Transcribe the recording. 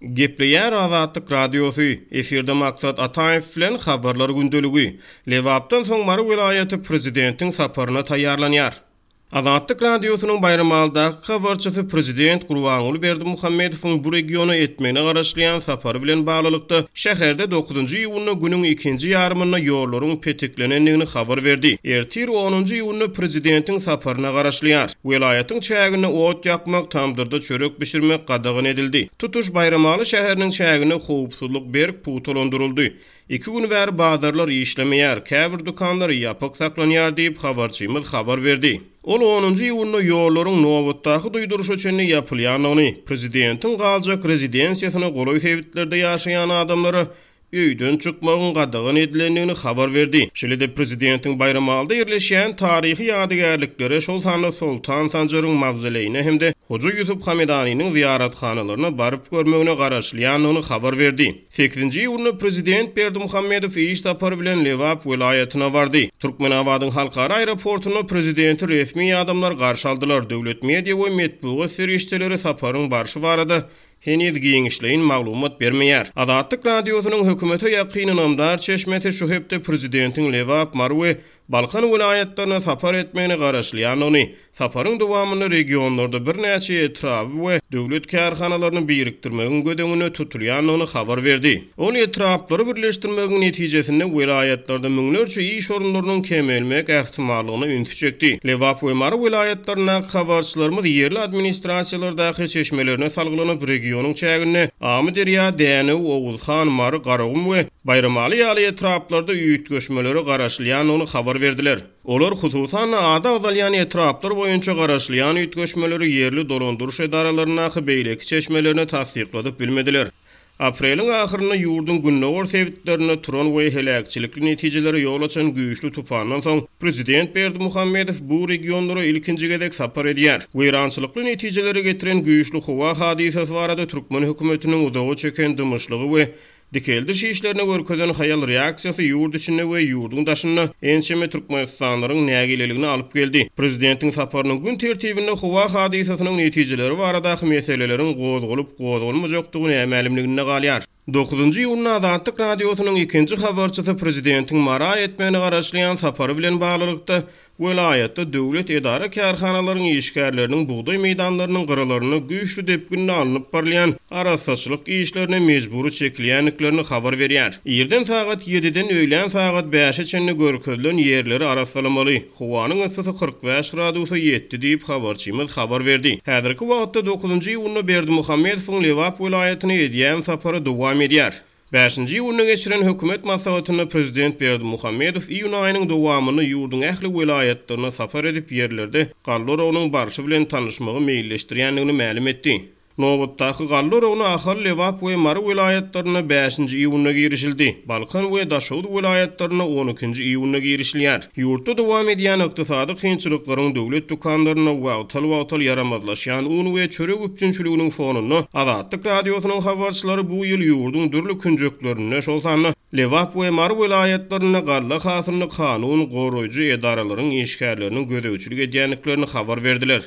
Gepleýär Azatlyk Radiosy, efirde Maksat Ataýew bilen Habarlar gündeligi. Lebapdan soň Mary welaýaty prezidentiň saparyna taýýarlanýar. Azatlyk Radiosynyň Baýramalydaky habarçysy prezident Gurbanguly Berdimuhamedowyň bu regiona etmegine garaşylýan sapary bilen baglylykda, şäherde dokuzynjy iýunda günüň ikinji ýarymynda ýollaryň petiklenendigini habar berdi. Ertir onunjy iýunda prezidentiň saparyna garaşylýar. Welaýatyň çäginde ot ýakmak, tamdyrda çörek bişirmek gadagan edildi. Tutuş Baýramaly şäheriniň çäginde howpsuzlyk berk pugtalandyryldy. Iki gün bäri bazarlar işlemeýär, käbir dükanlar ýapyk saklanýar diýip, habarçymyz habar berdi. Ol onunjy iýunda ýollaryň nobatdaky duýduryşa çenli ýapylýandygyny, prezidentiň galjak rezidensiýasyna golaý sebitlerde ýaşaýan adamlara öýden çykmagyň gadagan edilendigini habar berdi. Şeýle-de prezidentiň Baýramalyda ýerleşýän taryhy ýadygärliklere, şol sanda Soltan Sanjaryň mawzoleýine hem-de Hoja Ýusup Hamedanynyň zyýarathanalaryna baryp görmegine garaşylýandygyny habar berdi. Sekizinji iýunda prezident Berdimuhamedow iş sapary bilen Lebap welaýatyna bardy. Türkmenabadyň halkara aeroportunda prezidenti resmi adamlar garşy aldylar. Döwlet media we metbugat serişdeleri saparyň barşy barada heniz giňişleýin maglumat bermeýär. Azatlyk Radiosynyň hökümete ýakyn ynamdar çeşmesi şu hepde prezidentiň Lebap, Mary we Balkan welaýatlaryna sapar etmegine garaşylýandygyny, saparyň dowamynda regionlarda birnäçe etraby we döwlet kärhanalaryny birikdirmegiň göz öňünde tutulýandygyny habar berdi. Ol etraplary birleşdirmegiň netijesinde welaýatlarda müňlerçe iş orunlarynyň kemelmek ähtimallygyna ünsi çekdi. Lebap we Mary welaýatlaryndaky habarçylarymyz ýerli administrasiýalardaky çeşmelerine salgylanyp, regionyň çäginde Amyderýa, Dänew, Oguzhan, Mary, Garagum we Baýramaly ýaly etraplarda üýtgeşmelere garaşylýandygyny habar berdiler. Olar, hususan-da, ady agzalýan etraplar boýunça garaşylýan üýtgeşmeleri ýerli dolandyryş edaralaryndaky beýleki çeşmelerine tassykladyp bilmediler. Apreliň ahyrynda ýurduň gündogar sebitlerinde turan we heläkçilikli netijelere ýol açan güýçli tupandan soň, prezident Berdimuhamedow bu regionlara ilkinji gezek sapar edýär. Weýrançylykly netijelere getiren güýçli howa hadysasy barada türkmen hökümetiniň uzaga çeken dymyşlygy we dikeldiş işlerine görkezen haýal reaksiýasy ýurt içinde we ýurduň daşynda ençeme türkmenistanlylaryň nägileligine alyp geldi. Prezidentiň saparynyň gün tertibinde howa hadysasynyň netijeleri baradaky meseleleriň gozgalyp-gozgalmajakdygy nämälimliginde galýar. Dokuzynjy iýunda Azatlyk Radiosynyň ikinji habarçysy prezidentiň Mara etmegine garaşylýan sapary bilen baglylykda, Welaýatda döwlet edara-kärhanalaryň işgärleriniň bugdaý meýdanlarynyň gyralarynda güýçli depginde alnyp barylýan arassaçylyk işlerine mejbury çekilýändiklerini habar berýär. Irden sagat ýediden öýlän sagat bäşe çenli görkezilen ýerleri arassalamaly. Howanyň yssysy 45 gradusa ýetdi diýip, habarçymyz habar berdi. Häzirki wagtda dokuzynjy iýunda Berdimuhamedowyň Lebap welaýatyna edýän sapary dowam edýär. Bäşinji iýunda geçiren hökümet maslahatynda prezident Berdimuhamedow iýun aýynyň dowamynda ýurduň ähli welaýatlaryna sapar edip, ýerlerde galla oragynyň barşy bilen tanyşmagy meýilleşdirýändigini mälim etdi. Nobatdaky galla oragyna Ahal, Lebap we Mary welaýatlarynda bäşinji iýunda girişildi. Balkan we Daşoguz welaýatlarynda on ikinji iýunda girişilýär. Ýurtda dowam edýän ykdysady kynçylyklaryň döwlet dükanlarynda wagtal-wagtal ýaramazlaşýan un we çörek üpjünçiliginiň fonunda Azatlyk Radiosynyň habarçylary bu ýyl ýurduň dürli künjeklerinde, şol sanda Lebap we Mary welaýatlarynda galla hasylyny kanun goraýjy edaralaryň işgärleriniň gözegçilik edýändiklerini habar berdiler.